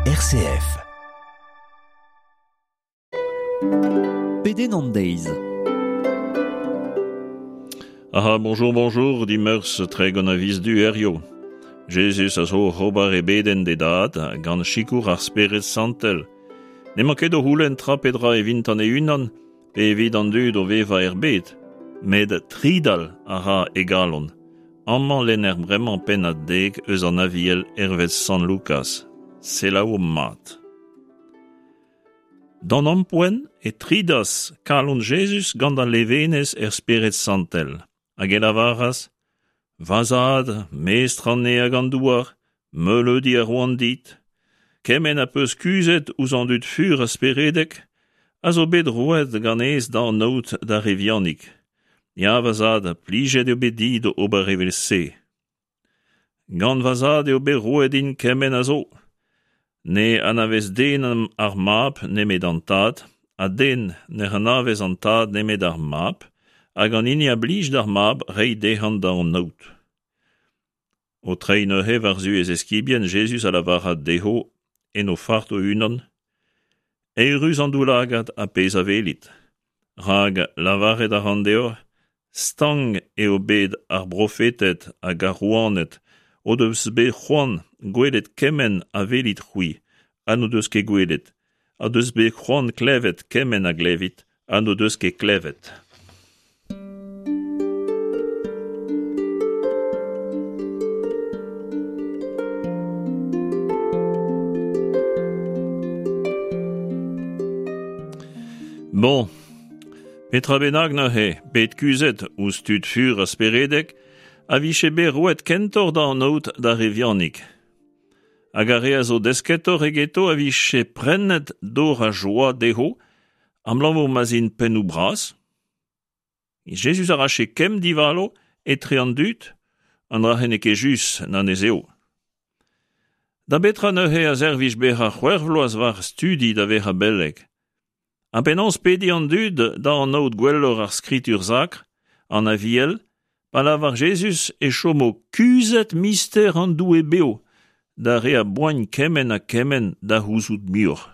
RCF. Pedenn an deiz. Aha, bonjour, bonjour, dimeurzh 30 a viz Du herrio. Jezuz a zo oc'h ober e bedenn d'e dad gant sikour ar Spered Santel. N'emañ ket o c'houlenn tra pe dra evintan e-unan pe evit an dud o vevañ er bed, met tridal a ra e galon. Amañ lenner bremañ pennad dek eus an Aviel hervez Sant Lukaz. Selaouomp mat. D'an ampoent e tridas kalon Jezuz gant al levenez er Spered Santel, hag e lavaras: Va zad, mestr an neñv hag an douar, meuleudi a roan dit. Kement ha peus kuzhet ouzh an dud fur ha speredek a zo bet roet ganez da anaout d'ar re vihanik. Ya, va zad, plijet eo bet dit ober evel-se. Gant va zad eo bet roet din kement a zo. Ne anavez den ar mab nemet an tad, ha den ne anavez an tad nemet ar mab, hag an hini a blij d'ar mab reiñ dezhañ da anaout. O treiñ neuze war-zu e zeskibien, Jezuz a lavaras dezho en o fart o-unan: Eürus an daoulagad ha pezh a welit. Rak lavaret a ran deoc'h, stank eo bet ar brofeted hag ar rouaned o deus bet c'hoant gwelet kement a welit-c'hwi ha n'o deus ket gwelet, o deus bet c'hoant klevet kement a glevit ha n'o deus ket klevet. Bon, petra bennak neuze, bet kuzhet ouzh tud fur ha speredek, a vije bet roet kentoc'h da anaout d'ar re vihanik. Hag ar re a zo desketoc'h egeto a vije prennet dor a joa dezho, abalamour ma'z int pennoù bras. Jezuz a rache kemm divalo etre an dud, an dra-se n'eo ket just na n'ez eo. Da betra neuze a servij bezañ c'hwec'h vloaz war studi da vezañ beleg? Ha penaos pediñ an dud da anaout gwelloc'h ar Skritur Sakr, an Aviel, pa lavar Jezuz e chomo kuzhet mister an Doue bev d'ar re a boagn kement ha kement da c'houzout muioc'h?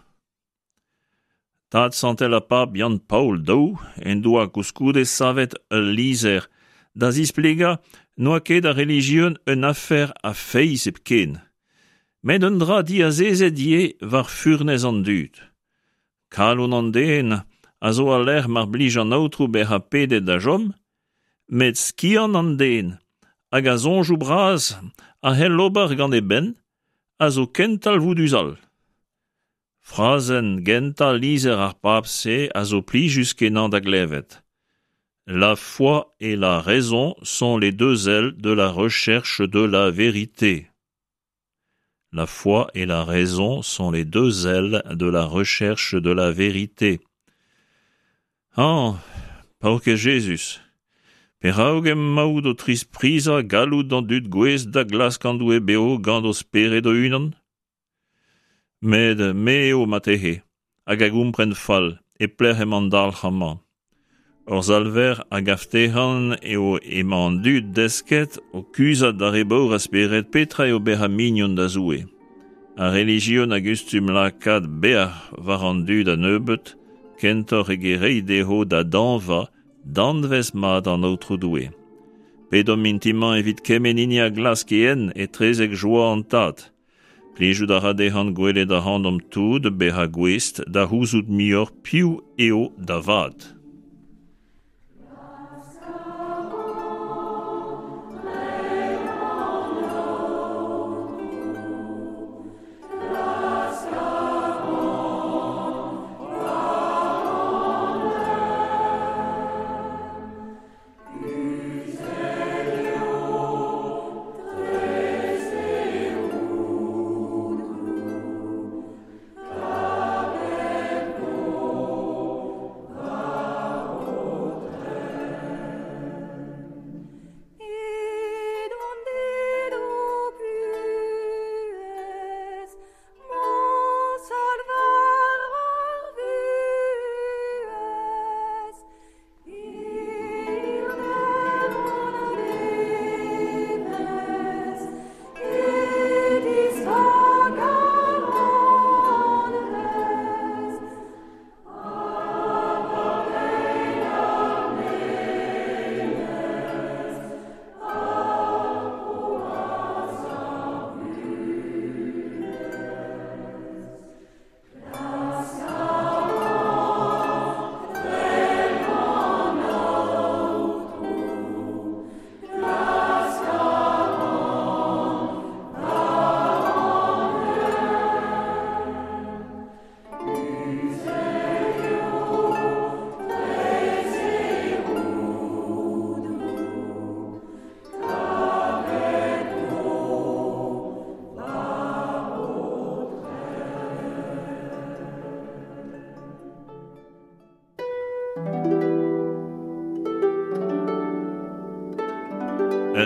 Tad santel ha pab Yann-Paol II en doa koulskoude savet ul lizher da zisplegañ n'oa ket ar relijion un afer a feiz hepken, met un dra diazezet ivez war furnez an dud. Kalon an den a zo al lec'h mar blij an Aotrou bezañ pedet da chom, met skiant an den hag a soñjoù bras a c'hell ober gant e benn a zo ken talvoudus all. Frazenn gentañ lizher ar pab-se a zo plijus-kenañ da glevet. La foi et la raison sont les deux ailes de la recherche de la vérité. La foi et la raison sont les deux ailes de la recherche de la vérité. Hañ, paourkaezh Jezuz! Perak emaout o trisprizañ galloud an dud gouest da glask an Doue bev gant o spered o-unan? Met me eo marteze hag a gompren fall e pelec'h emañ an dalc'h amañ. Hor Salver a gav dezhañ eo emañ an dud desket o kuzhat d'ar re baour a spered petra eo bezañ mignon da Zoue. Ar relijion a gustum lakaat bec'h war an dud a-nebeut kentoc'h eget reiñ dezho da dañva danvez mat an Aotrou Doue. Pedomp mintin-mañ evit kement hini a glask e hent etrezek joa an Tad. Plijout a ra dezhañ gwelet ac'hanomp tout bezañ gouest da c'houzout muioc'h piv eo da vat.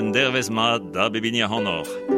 Un dervezh mat da bep hini ac'hanoc'h.